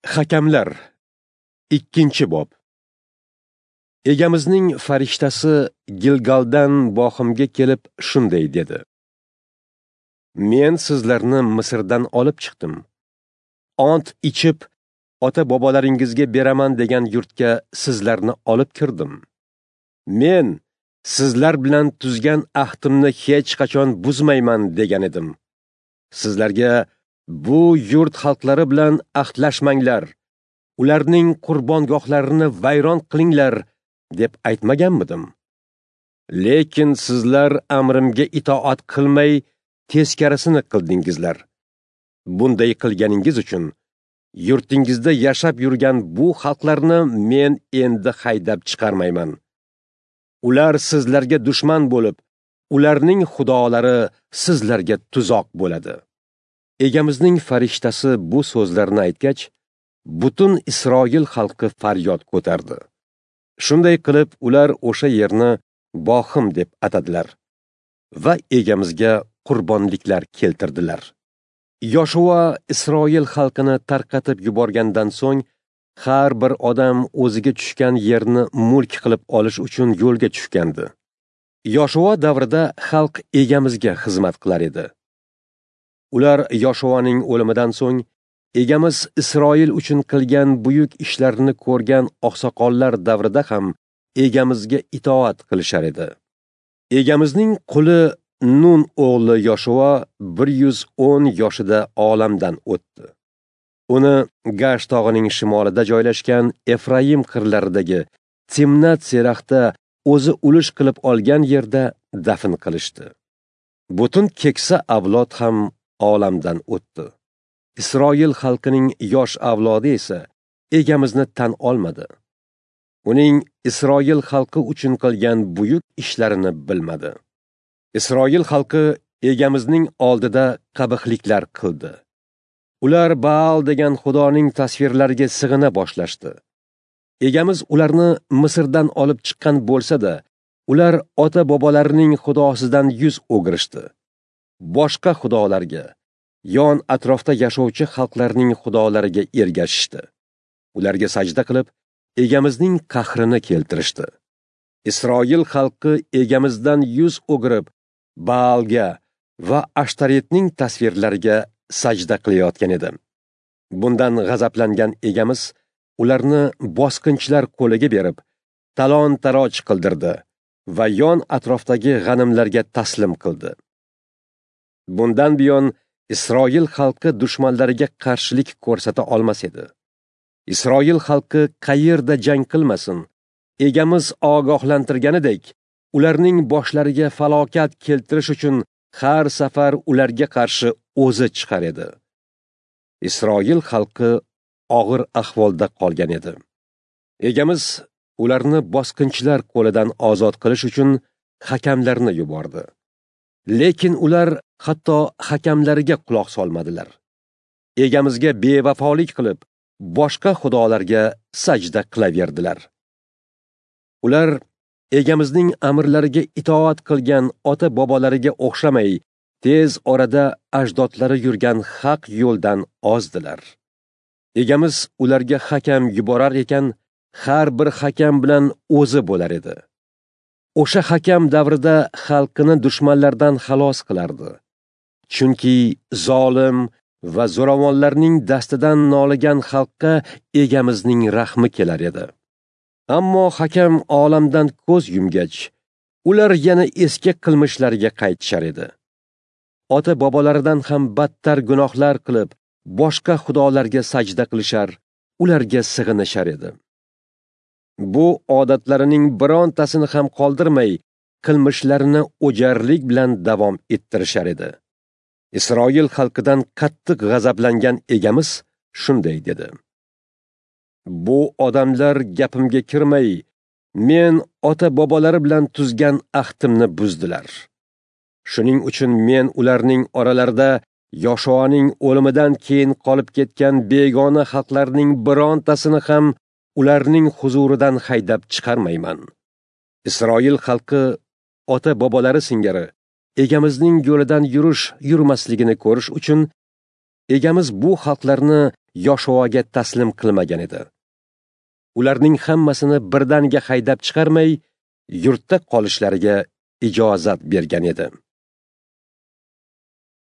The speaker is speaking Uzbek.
Hakamlar 2-bob. Egamizning farishtasi Gilgaldan Boximga kelib shunday dedi: Men sizlarni Misrdan olib chiqdim. Ant ichib, ota-bobolaringizga beraman degan yurtga sizlarni olib kirdim. Men sizlar bilan tuzgan ahdimni hech qachon buzmayman degan edim. Sizlarga bu yurt xalqlari bilan ahdlashmanglar, ularning qurbongohlarini vayron qilinglar deb aytmaganmidim? Lekin sizlar amrimga itoat qilmay teskarisini qildingizlar. Bunday qilganingiz uchun yurtingizda yashab yurgan bu xalqlarni men endi haydab chiqarmayman. Ular sizlarga dushman bo'lib, ularning xudolari sizlarga tuzoq bo'ladi. Egamizning farishtasi bu so'zlarni aytgach, butun Isroil xalqi faryod ko'tardi. Shunday qilib, ular o'sha yerni Boxim deb atadilar va egamizga qurbonliklar keltirdilar. Yoshua Isroil xalqini tarqatib yuborgandan so'ng, har bir odam o'ziga tushgan yerni mulk qilib olish uchun yo'lga tushgandi. Yoshua davrida xalq egamizga xizmat qilar edi. Ular Yoshuaning o'limidan so'ng egamiz Isroil uchun qilgan buyuk ishlarni ko'rgan oqsoqollar davrida ham egamizga itoat qilishar edi. Egamizning quli Nun o'g'li Yoshua 110 yoshida olamdan o'tdi. Uni Gash tog'ining shimolida joylashgan Efraim qirlaridagi Timnat Seraxda o'zi ulush qilib olgan yerda dafn qilishdi. Butun keksa avlod ham olamdan o'tdi. Isroil xalqining yosh avlodi esa egamizni tan olmadi. Uning Isroil xalqi uchun qilgan buyuk ishlarini bilmadi. Isroil xalqi egamizning oldida qabihliklar qildi. Ular Baal degan xudoning tasvirlariga sig'ina boshlashdi. Egamiz ularni Misrdan olib chiqqan bo'lsa-da, ular ota-bobolarining xudosidan yuz o'girishdi. Boshqa xudolarga, yon atrofda yashovchi xalqlarning xudolariga ergashishdi. Ularga sajda qilib, egamizning qahrini keltirishdi. Isroil xalqi egamizdan yuz o'girib, Baalga va Ashtaretning tasvirlariga sajda qilayotgan edi. Bundan g'azablangan egamiz ularni bosqinchilar qo'liga berib, talon-taroj qildirdi va yon atrofdagi g'animlarga taslim qildi. Bundan buyon Isroil xalqi dushmanlariga qarshilik ko'rsata olmas edi. Isroil xalqi qayerda jang qilmasin, egamiz ogohlantirganidek, ularning boshlariga falokat keltirish uchun har safar ularga qarshi o'zi chiqar edi. Isroil xalqi og'ir ahvolda qolgan edi. Egamiz ularni bosqinchilar qo'lidan ozod qilish uchun hakamlarni yubordi. Lekin ular hatto hakamlariga quloq solmadilar. Egamizga bevafolik qilib, boshqa xudolarga sajda qilaverdilar. Ular egamizning amrlariga itoat qilgan ota-bobolariga o'xshamay, tez orada ajdodlari yurgan haq yo'ldan ozdilar. Egamiz ularga hakam yuborar ekan, har bir hakam bilan o'zi bo'lar edi. O'sha hakam davrida xalqini dushmanlardan xalos qilardi. Chunki zolim va zo'ravonlarning dastidan noligan xalqqa egamizning rahmi kelar edi. Ammo hakam olamdan ko'z yumgach, ular yana eski qilmishlariga qaytishar edi. Ota-bobolaridan ham battar gunohlar qilib, boshqa xudolarga sajda qilishar, ularga sig'inishar edi. Bu odatlarining birontasini ham qoldirmay, qilmishlarini o'jarlik bilan davom ettirishar edi. Isroil xalqidan qattiq g'azablangan egamiz shunday dedi: Bu odamlar gapimga kirmay, men ota-bobolari bilan tuzgan ahdimni buzdilar. Shuning uchun men ularning oralarida Yoshuaning o'limidan keyin qolib ketgan begona xalqlarning birontasini ham ularning huzuridan haydab chiqarmayman. Isroil xalqi ota-bobolari singari egamizning yo'lidan yurish yurmasligini ko'rish uchun Egamiz bu xalqlarni Yoshuaga taslim qilmagan edi. Ularning hammasini birdaniga haydab chiqarmay, yurtda qolishlariga ijozat bergan edi.